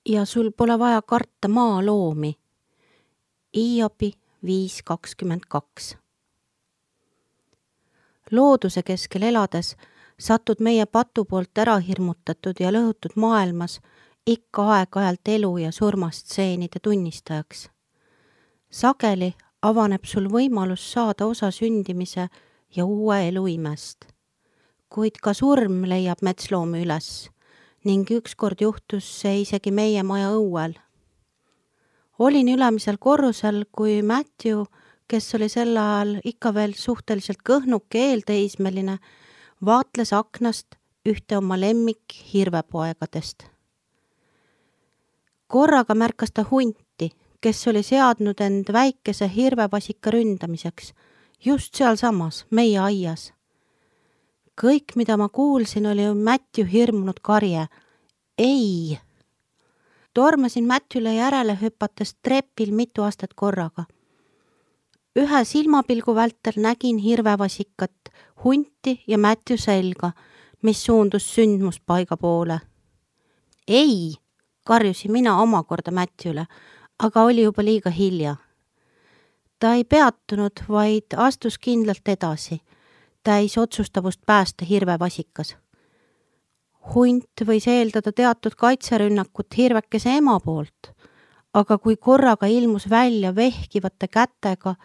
ja sul pole vaja karta maaloomi. Hiobi 5.22. Looduse keskel elades satud meie patu poolt ära hirmutatud ja lõhutud maailmas ikka aeg-ajalt elu ja surmastseenide tunnistajaks. Sageli avaneb sul võimalus saada osa sündimise ja uue elu imest. Kuid ka surm leiab metsloomi üles ning ükskord juhtus see isegi meie maja õuel. Olin ülemisel korrusel, kui Matthew, kes oli sel ajal ikka veel suhteliselt kõhnuke eelteismeline, vaatles aknast ühte oma lemmik hirvepoegadest. Korraga märkas ta hunti, kes oli seadnud end väikese hirvevasika ründamiseks, just sealsamas, meie aias. Kõik, mida ma kuulsin, oli Matthew hirmunud karje. Ei! Tormasin Matthewle järele hüpates trepil mitu astet korraga. Ühe silmapilgu vältel nägin hirvevasikat, hunti ja Matthew selga, mis suundus sündmuspaiga poole. Ei! Karjusin mina omakorda Matthewle, aga oli juba liiga hilja. Ta ei peatunud, vaid astus kindlalt edasi, täis otsustavust päästa hirvevasikas. Hunt võis eeldada teatud kaitserünnakut hirvekese ema poolt, aga kui korraga ilmus välja vehkivate kätega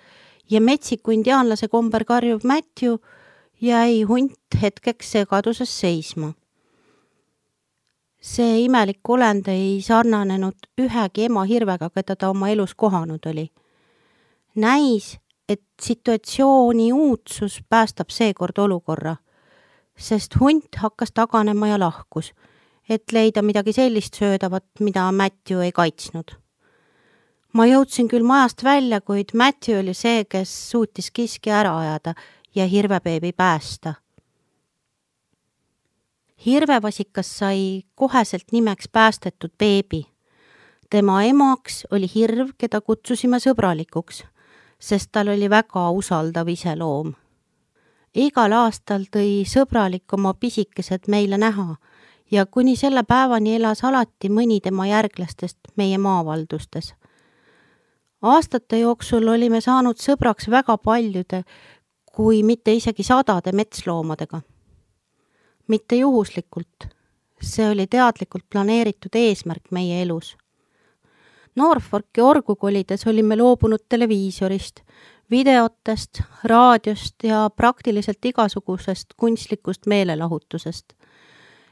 ja metsiku indiaanlase komber karjuv Matthew, jäi hunt hetkeks segaduses seisma. See imelik olend ei sarnanenud ühegi ema hirvega, keda ta oma elus kohanud oli. Näis, et situatsiooni uudsus päästab seekord olukorra, sest hunt hakkas taganema ja lahkus, et leida midagi sellist söödavat, mida Matthew ei kaitsnud. Ma jõudsin küll majast välja, kuid Matthew oli see, kes suutis kiski ära ajada ja hirvebeebi päästa. Hirvevasikas sai koheselt nimeks päästetud beebi. Tema emaks oli hirv, keda kutsusime sõbralikuks, sest tal oli väga usaldav iseloom. Igal aastal tõi sõbralik oma pisikesed meile näha ja kuni selle päevani elas alati mõni tema järglastest meie maavaldustes. Aastate jooksul olime saanud sõbraks väga paljude, kui mitte isegi 100 metsloomadega. Mitte juhuslikult, see oli teadlikult planeeritud eesmärk meie elus. Norfolki orgu kolides olime loobunud televiisorist, videotest, raadiost ja praktiliselt igasugusest kunstlikust meelelahutusest.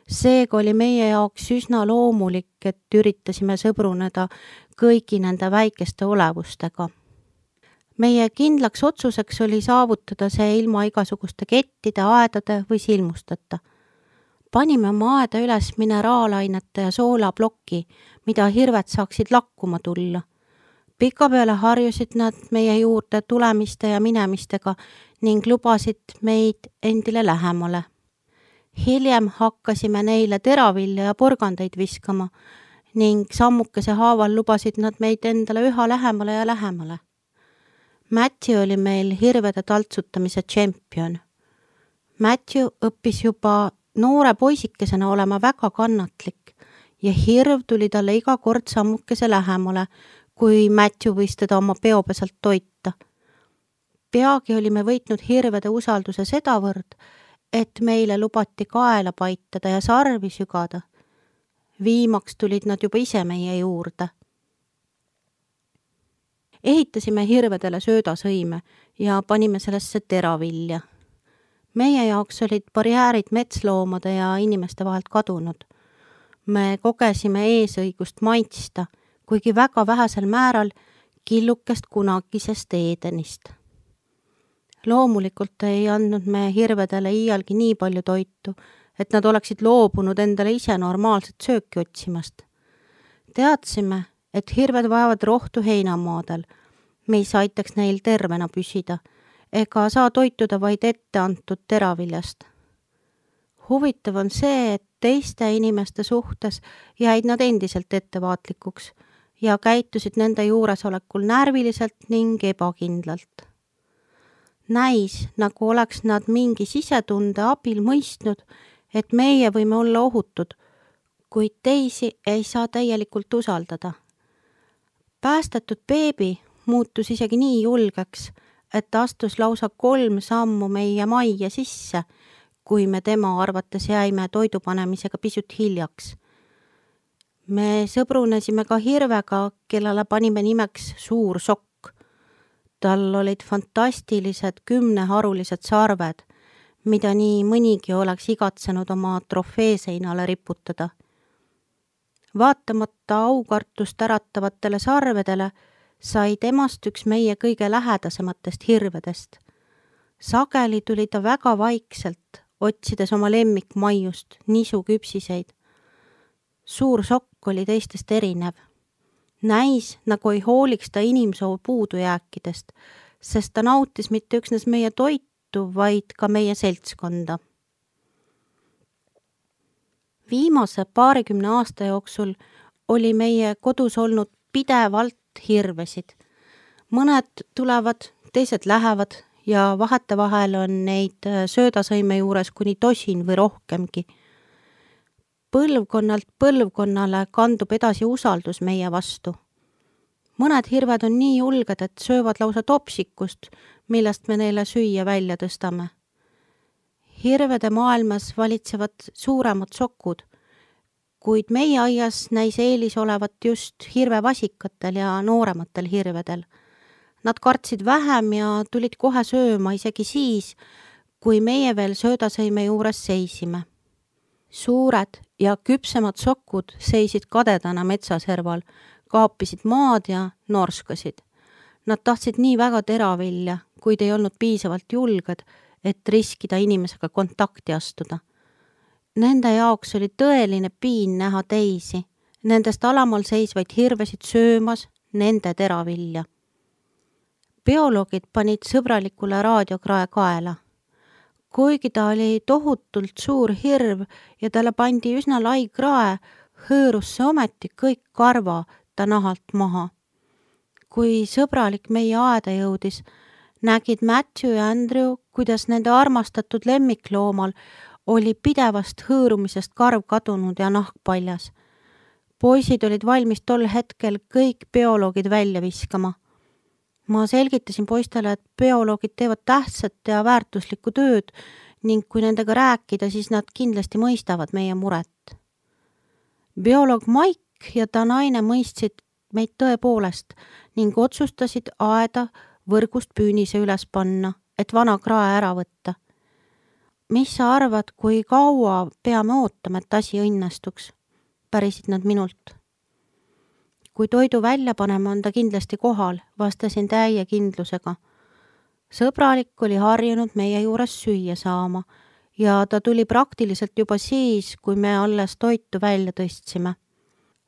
Seega oli meie jaoks üsna loomulik, et üritasime sõbruneda kõigi nende väikeste olevustega. Meie kindlaks otsuseks oli saavutada see ilma igasuguste kettide, aedade või silmusteta. Panime oma aeda üles mineraalainete ja soolaploki, mida hirved saaksid lakkuma tulla. Pikapeale harjusid nad meie juurde tulemiste ja minemistega ning lubasid meid endile lähemale. Hiljem hakkasime neile teravilja ja porgandeid viskama ning sammukese haaval lubasid nad meid endale üha lähemale ja lähemale. Matthew oli meil hirvede taltsutamise tšempion. Matthew õppis juba noore poisikesena olema väga kannatlik ja hirv tuli talle iga kord sammukese lähemale, kui Matthew võis teda oma peopesalt toita. Peagi olime võitnud hirvede usalduse sedavõrd, et meile lubati kaela paitada ja sarvi sügada. Viimaks tulid nad juba ise meie juurde. Ehitasime hirvedele söödasõime ja panime sellesse teravilja. Meie jaoks olid barjäärid metsloomade ja inimeste vahelt kadunud. Me kogesime eesõigust maitsta, kuigi väga vähesel määral killukest kunagisest Edenist. Loomulikult ei andnud me hirvedele iialgi nii palju toitu, et nad oleksid loobunud endale ise normaalset sööki otsimast. Teadsime, et hirved vajavad rohtu heinamaadel, mis aitaks neil tervena püsida, ega saa toituda vaid ette antud teraviljast. Huvitav on see, et teiste inimeste suhtes jäid nad endiselt ettevaatlikuks ja käitusid nende juuresolekul närviliselt ning ebakindlalt. Näis, nagu oleks nad mingi sisetunde abil mõistnud, et meie võime olla ohutud, kuid teisi ei saa täielikult usaldada. Päästetud beebi muutus isegi nii julgeks, et ta astus lausa 3 sammu meie majja sisse, kui me tema arvates jäime toidu panemisega pisut hiljaks. Me sõbrunesime ka hirvega, kellele panime nimeks Suur Sokk. Tal olid fantastilised 10-harulised sarved, mida nii mõnigi oleks igatsenud oma trofeeseinale riputada. Vaatamata aukartust äratavatele sarvedele sai temast üks meie kõige lähedasematest hirvedest. Sageli tuli ta väga vaikselt, otsides oma lemmikmaiust, nisuküpsiseid. Suur Sokk oli teistest erinev. Näis, nagu ei hooliks ta inimsoo puudujääkidest, sest ta nautis mitte üksnes meie toitu, vaid ka meie seltskonda. Viimase 20 aasta jooksul oli meie kodus olnud pidevalt hirvesid. Mõned tulevad, teised lähevad ja vahetevahel on neid söödasõime juures kuni 10 või rohkemgi. Põlvkonnalt põlvkonnale kandub edasi usaldus meie vastu. Mõned hirved on nii julged, et söövad lausa topsikust, millest me neile süüa välja tõstame. Hirvede maailmas valitsevad suuremad sokud, kuid meie aias näis eelis olevat just hirvevasikatel ja noorematel hirvedel. Nad kartsid vähem ja tulid kohe sööma isegi siis, kui meie veel söödasõime juures seisime. Suured ja küpsemad sokud seisid kadedana metsaserval, kaapisid maad ja norskasid. Nad tahtsid nii väga teravilja, kuid ei olnud piisavalt julged, et riskida inimesega kontakti astuda. Nende jaoks oli tõeline piin näha teisi, nendest alamal seisvaid hirvesid söömas nende teravilja. Bioloogid panid sõbralikule raadiokrae kaela. Kuigi ta oli tohutult suur hirv ja talle pandi üsna lai krae, hõõrus see ometi kõik karva ta nahalt maha. Kui sõbralik meie aeda jõudis, nägid Matthew ja Andrew, kuidas nende armastatud lemmikloomal oli pidevast hõõrumisest karv kadunud ja nahk paljas. Poisid olid valmis tol hetkel kõik bioloogid välja viskama. Ma selgitasin poistele, et bioloogid teevad tähtsat ja väärtuslikku tööd ning kui nendega rääkida, siis nad kindlasti mõistavad meie muret. Bioloog Mike ja ta naine mõistsid meid tõepoolest ning otsustasid aeda võrgust püünise üles panna, et vana krae ära võtta. Mis sa arvad, kui kaua peame ootama, et asi õnnestuks? Pärisid nad minult. Kui toidu välja paneme, on ta kindlasti kohal, vastasin täie kindlusega. Sõbralik oli harjunud meie juures süüa saama ja ta tuli praktiliselt juba siis, kui me alles toitu välja tõstsime.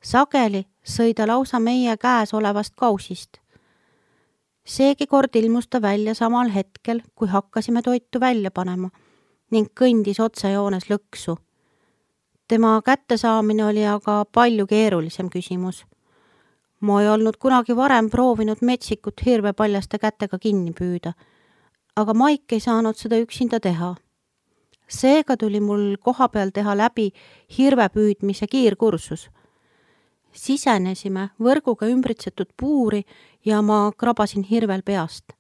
Sageli sõi ta lausa meie käes olevast kausist. Seegi kord ilmus ta välja samal hetkel, kui hakkasime toitu välja panema ning kõndis otsejoones lõksu. Tema kättesaamine oli aga palju keerulisem küsimus. Ma ei olnud kunagi varem proovinud metsikut hirvepaljaste kätega kinni püüda, aga Mike ei saanud seda üksinda teha. Seega tuli mul koha peal teha läbi hirvepüüdmise kiirkursus. Sisenesime võrguga ümbritsetud puuri ja ma krabasin hirvel peast.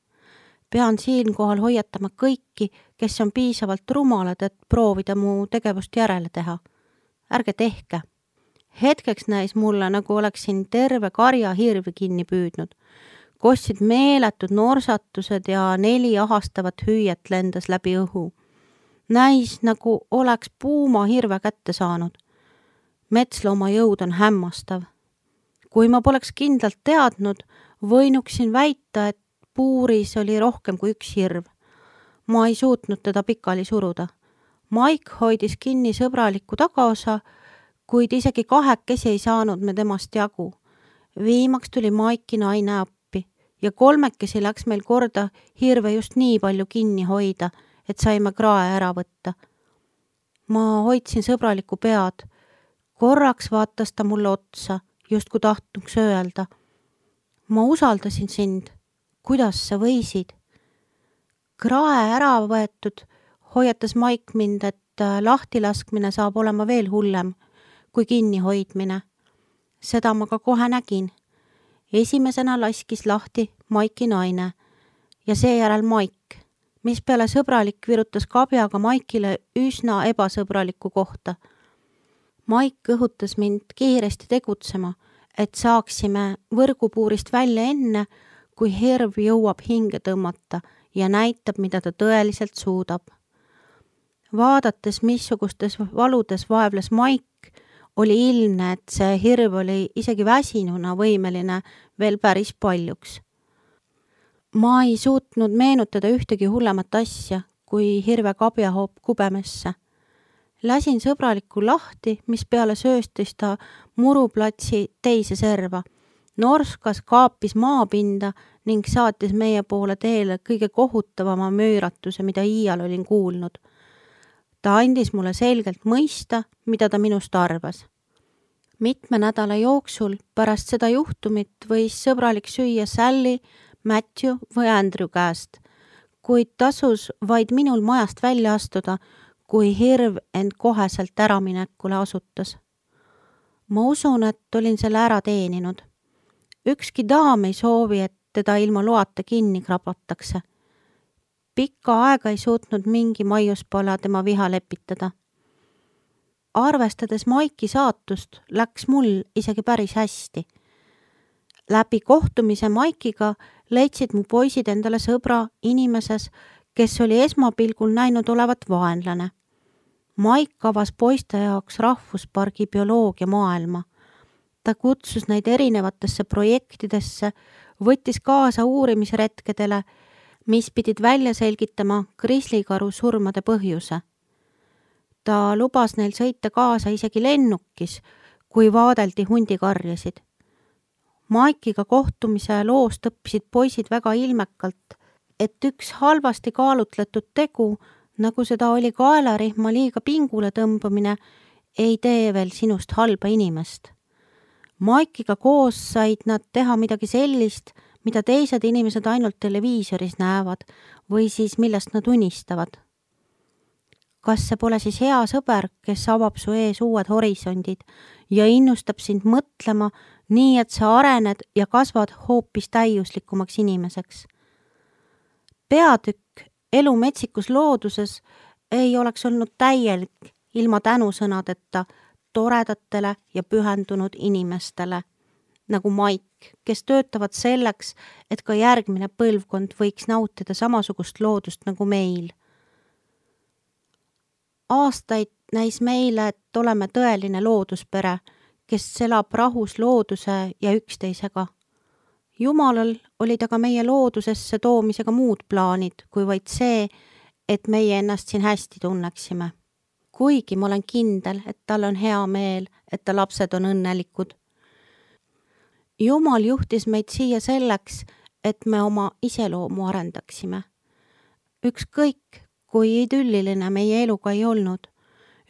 Pean siinkohal hoiatama kõiki, kes on piisavalt rumalad, et proovida mu tegevust järele teha. Ärge tehke. Hetkeks näis mulle, nagu oleksin terve karja hirvi kinni püüdnud. Kostsid meeletud norsatused ja 4 ahastavat hüüet lendas läbi õhu. Näis, nagu oleks puuma hirve kätte saanud. Metslooma jõud on hämmastav. Kui ma poleks kindlalt teadnud, võinuksin väita, et puuris oli rohkem kui üks hirv. Ma ei suutnud teda pikali suruda. Mike hoidis kinni sõbralikku tagaosa, kuid isegi 2 ei saanud me temast jagu. Viimaks tuli Maiki naine appi ja 3 läks meil korda hirve just nii palju kinni hoida, et saime krae ära võtta. Ma hoidsin sõbralikku pead. Korraks vaatas ta mulle otsa, justkui tahtnuks öelda. Ma usaldasin sind. Kuidas sa võisid? Krae ära võetud, hoiatas Mike mind, et lahtilaskmine saab olema veel hullem, kui kinnihoidmine. Seda ma ka kohe nägin. Esimesena laskis lahti Maiki naine ja seejärel Maik, mis peale sõbralik virutas kabjaga Maikile üsna ebasõbraliku kohta. Maik õhutas mind kiiresti tegutsema, et saaksime võrgupuurist välja enne, kui hirv jõuab hinge tõmmata ja näitab, mida ta tõeliselt suudab. Vaadates, missugustes valudes vaevles Maik, oli ilmne, et see hirv oli isegi väsinuna võimeline veel päris paljuks. Ma ei suutnud meenutada ühtegi hullemat asja, kui hirve kabjahoop kubemesse. Lasin sõbralikku lahti, mis peale sööstis ta muruplatsi teise serva. Norskas kaapis maapinda ning saatis meie poole teele kõige kohutavama müüratuse, mida iial olin kuulnud. Ta andis mulle selgelt mõista, mida ta minust arvas. Mitme nädala jooksul pärast seda juhtumit võis sõbralik süüa Sally, Matthew või Andrew käest, kuid tasus vaid minul majast välja astuda, kui hirv end koheselt äraminekule asutas. Ma usun, et olin selle ära teeninud. Ükski daam ei soovi, et teda ilma loata kinni krabatakse. Pikka aega ei suutnud mingi maiuspala tema viha lepitada. Arvestades Maiki saatust, läks mul isegi päris hästi. Läbi kohtumise Maikiga leidsid mu poisid endale sõbra inimeses, kes oli esmapilgul näinud olevat vaenlane. Maik avas poiste jaoks rahvuspargi bioloogia maailma. Ta kutsus neid erinevatesse projektidesse, võttis kaasa uurimisretkedele, mis pidid välja selgitama grislikaru surmade põhjuse. Ta lubas neil sõita kaasa isegi lennukis, kui vaadeldi hundikarjasid. Maikiga kohtumise loost õppisid poisid väga ilmekalt, et üks halvasti kaalutletud tegu, nagu seda oli kaelarihma liiga pingule tõmbamine, ei tee veel sinust halba inimest. Maikiga koos said nad teha midagi sellist, mida teised inimesed ainult televiisoris näevad või siis millest nad unistavad. Kas see pole siis hea sõber, kes avab su ees uued horisondid ja innustab sind mõtlema nii, et sa arened ja kasvad hoopis täiuslikumaks inimeseks? Peatükk Elu metsikus looduses ei oleks olnud täielik ilma tänusõnadeta toredatele ja pühendunud inimestele, nagu Maik, kes töötavad selleks, et ka järgmine põlvkond võiks nautida samasugust loodust nagu meil. Aastaid näis meile, et oleme tõeline looduspere, kes elab rahus looduse ja üksteisega. Jumalal olid aga meie loodusesse toomisega muud plaanid, kui vaid see, et meie ennast siin hästi tunneksime. Kuigi ma olen kindel, et tal on hea meel, et ta lapsed on õnnelikud. Jumal juhtis meid siia selleks, et me oma iseloomu arendaksime. Ükskõik, kui idülliline meie eluga ei olnud,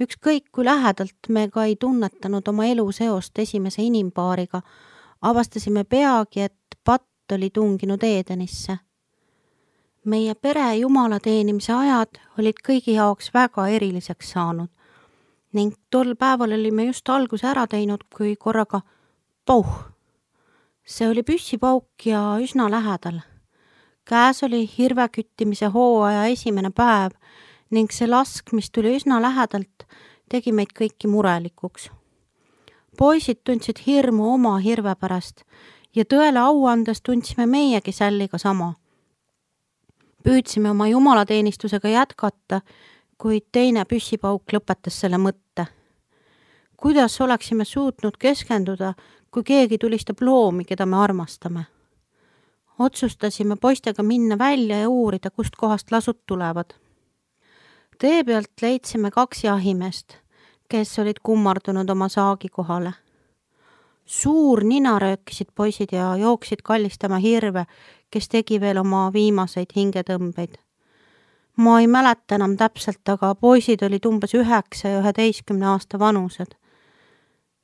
ükskõik kui lähedalt me ka ei tunnetanud oma elu seost esimese inimpaariga, avastasime peagi, et patt oli tunginud Eedenisse. Meie pere jumala teenimise ajad olid kõigi jaoks väga eriliseks saanud ning tol päeval olime just alguse ära teinud, kui korraga pauh. See oli püssipauk ja üsna lähedal. Käes oli hirveküttimise hooaja esimene päev ning see lask, mis tuli üsna lähedalt, tegi meid kõiki murelikuks. Poisid tundsid hirmu oma hirve pärast ja tõele au andes tundsime meiegi Salliga sama. Püüdsime oma jumalateenistusega jätkata, kuid teine püssipauk lõpetas selle mõtte. Kuidas oleksime suutnud keskenduda, kui keegi tulistab loomi, keda me armastame? Otsustasime poistega minna välja ja uurida, kust kohast lasud tulevad. Tee pealt leidsime 2 jahimeest, kes olid kummardunud oma saagi kohale. Suur nina röökisid poisid ja jooksid kallistama hirve, kes tegi veel oma viimaseid hingetõmbeid. Ma ei mäleta enam täpselt, aga poisid olid umbes 9 ja 11 aasta vanused.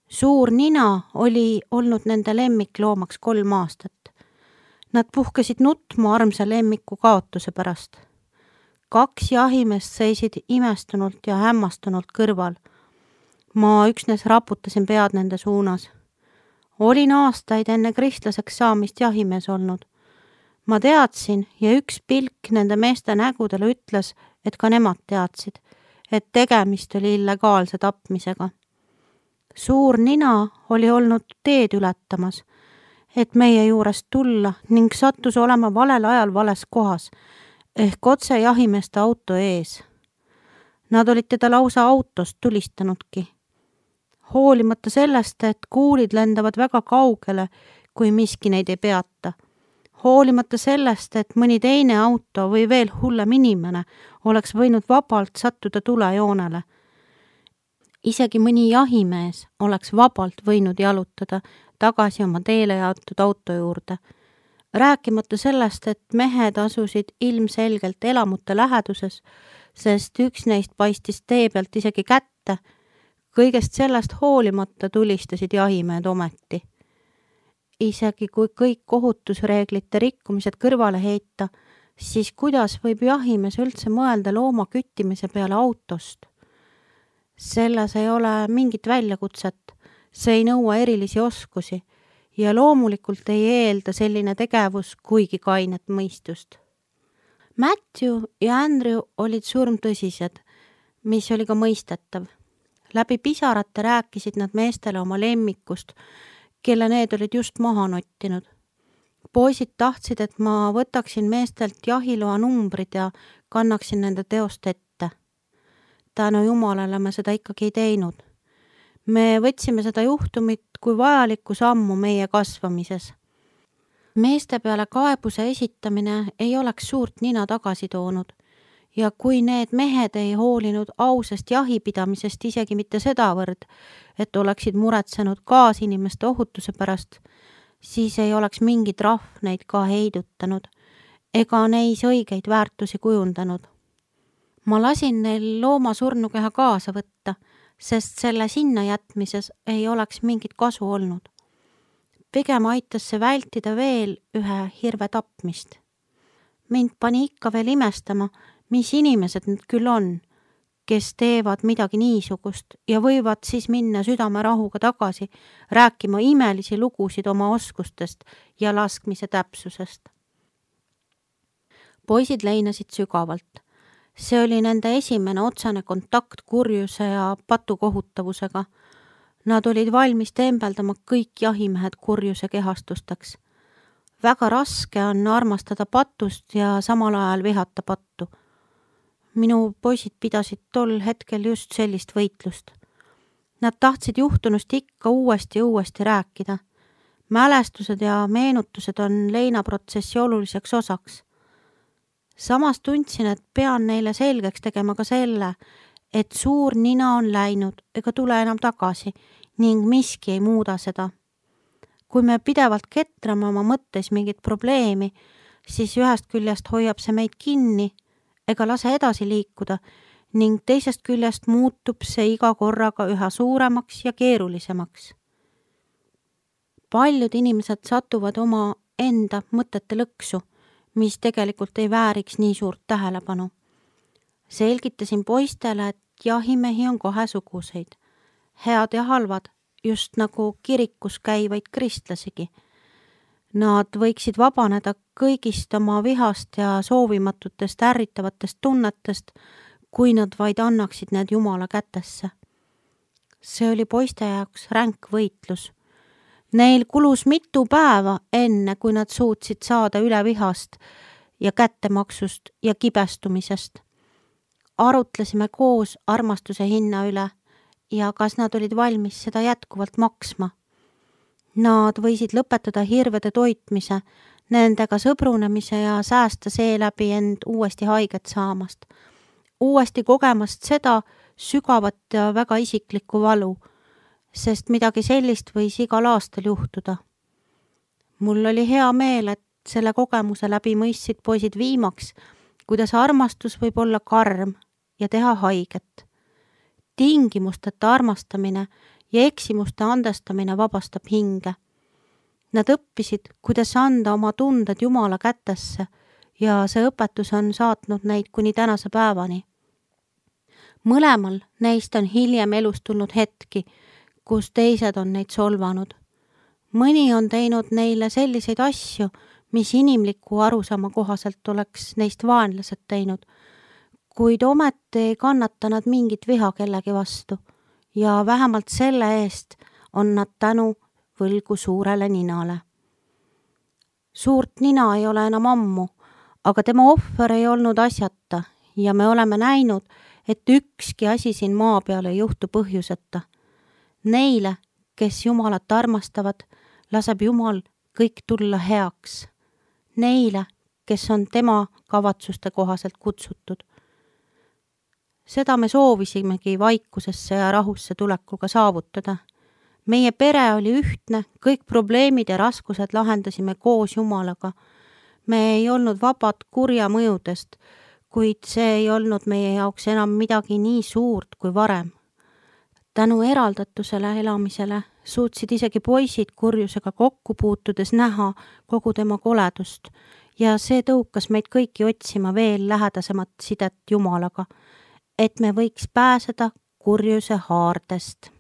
Suur nina oli olnud nende lemmikloomaks 3 aastat. Nad puhkesid nutma armsa lemmiku kaotuse pärast. 2 jahimeest seisid imestunult ja hämmastunult kõrval. Ma üksnes raputasin pead nende suunas. Olin aastaid enne kristlaseks saamist jahimees olnud. Ma teadsin ja üks pilk nende meeste nägudele ütles, et ka nemad teadsid, et tegemist oli illegaalse tapmisega. Suur nina oli olnud teed ületamas, et meie juurest tulla ning sattus olema valel ajal vales kohas, ehk otse jahimeeste auto ees. Nad olid teda lausa autost tulistanudki. Hoolimata sellest, et kuulid lendavad väga kaugele, kui miski neid ei peata. Hoolimata sellest, et mõni teine auto või veel hullem inimene oleks võinud vabalt sattuda tulejoonele. Isegi mõni jahimees oleks vabalt võinud jalutada tagasi oma teele jaotud auto juurde. Rääkimata sellest, et mehed asusid ilmselgelt elamute läheduses, sest üks neist paistis tee pealt isegi kätte. Kõigest sellest hoolimata tulistasid jahimehed ometi. Isegi kui kõik ohutusreeglite rikkumised kõrvale heita, siis kuidas võib jahimees üldse mõelda looma küttimise peale autost? Selles ei ole mingit väljakutset, see ei nõua erilisi oskusi ja loomulikult ei eelda selline tegevus kuigi kainet mõistust. Matthew ja Andrew olid surmtõsised, mis oli ka mõistetav. Läbi pisarate rääkisid nad meestele oma lemmikust, kelle need olid just maha nottinud. Poisid tahtsid, et ma võtaksin meestelt jahiloa numbrid ja kannaksin nende teost ette. Tänu Jumalale me seda ikkagi ei teinud. Me võtsime seda juhtumit kui vajalikku sammu meie kasvamises. Meeste peale kaebuse esitamine ei oleks suurt nina tagasi toonud ja kui need mehed ei hoolinud ausast jahipidamisest isegi mitte sedavõrd, et oleksid muretsenud kaasinimeste ohutuse pärast, siis ei oleks mingi trahv neid ka heidutanud ega neis õigeid väärtusi kujundanud. Ma lasin neil looma surnukeha kaasa võtta, sest selle sinna jätmises ei oleks mingit kasu olnud. Pigem aitas see vältida veel ühe hirve tapmist. Mind pani ikka veel imestama, mis inimesed need küll on, kes teevad midagi niisugust ja võivad siis minna südamerahuga tagasi rääkima imelisi lugusid oma oskustest ja laskmise täpsusest. Poisid leinasid sügavalt. See oli nende esimene otsane kontakt kurjuse ja patukohutavusega. Nad olid valmis tembeldama kõik jahimehed kurjuse kehastusteks. Väga raske on armastada patust ja samal ajal vihata pattu. Minu poisid pidasid tol hetkel just sellist võitlust. Nad tahtsid juhtunust ikka uuesti rääkida. Mälestused ja meenutused on leinaprotsessi oluliseks osaks. Samas tundsin, et pean neile selgeks tegema ka selle, et suur nina on läinud ega tule enam tagasi ning miski ei muuda seda. Kui me pidevalt ketrame oma mõttes mingit probleemi, siis ühest küljest hoiab see meid kinni ega lase edasi liikuda ning teisest küljest muutub see iga korraga üha suuremaks ja keerulisemaks. Paljud inimesed satuvad oma enda mõtete lõksu, mis tegelikult ei vääriks nii suurt tähelepanu. Selgitasin poistele, et jahimehi on kahesuguseid. Head ja halvad, just nagu kirikus käivaid kristlasigi. Nad võiksid vabaneda kõigist oma vihast ja soovimatutest ärritavatest tunnetest, kui nad vaid annaksid need Jumala kätesse. See oli poiste jaoks ränk võitlus. Neil kulus mitu päeva enne, kui nad suutsid saada üle vihast ja kättemaksust ja kibestumisest. Arutlesime koos armastuse hinna üle ja kas nad olid valmis seda jätkuvalt maksma. Nad võisid lõpetada hirvede toitmise, nendega sõbrunemise ja säästa seeläbi end uuesti haiget saamast. Uuesti kogemast seda sügavat ja väga isiklikku valu, sest midagi sellist võis igal aastal juhtuda. Mul oli hea meel, et selle kogemuse läbi mõistsid poisid viimaks, kuidas armastus võib olla karm ja teha haiget. Tingimusteta armastamine ja eksimuste andestamine vabastab hinge. Nad õppisid, kuidas anda oma tunded Jumala kätesse ja see õpetus on saatnud neid kuni tänase päevani. Mõlemal neist on hiljem elus tulnud hetki, kus teised on neid solvanud. Mõni on teinud neile selliseid asju, mis inimliku arusaama kohaselt oleks neist vaenlased teinud, kuid ometi ei kannata nad mingit viha kellegi vastu ja vähemalt selle eest on nad tänu võlgu suurele ninale. Suurt nina ei ole enam ammu, aga tema ohver ei olnud asjata ja me oleme näinud, et ükski asi siin maa peal ei juhtu põhjuseta. Neile, kes Jumalat armastavad, laseb Jumal kõik tulla heaks. Neile, kes on tema kavatsuste kohaselt kutsutud. Seda me soovisimegi vaikusesse ja rahusse tulekuga saavutada. Meie pere oli ühtne, kõik probleemid ja raskused lahendasime koos Jumalaga. Me ei olnud vabad kurja mõjudest, kuid see ei olnud meie jaoks enam midagi nii suurt kui varem. Tänu eraldatusele elamisele suutsid isegi poisid kurjusega kokku puutudes näha kogu tema koledust ja see tõukas meid kõiki otsima veel lähedasemat sidet Jumalaga, et me võiks pääseda kurjuse haardest.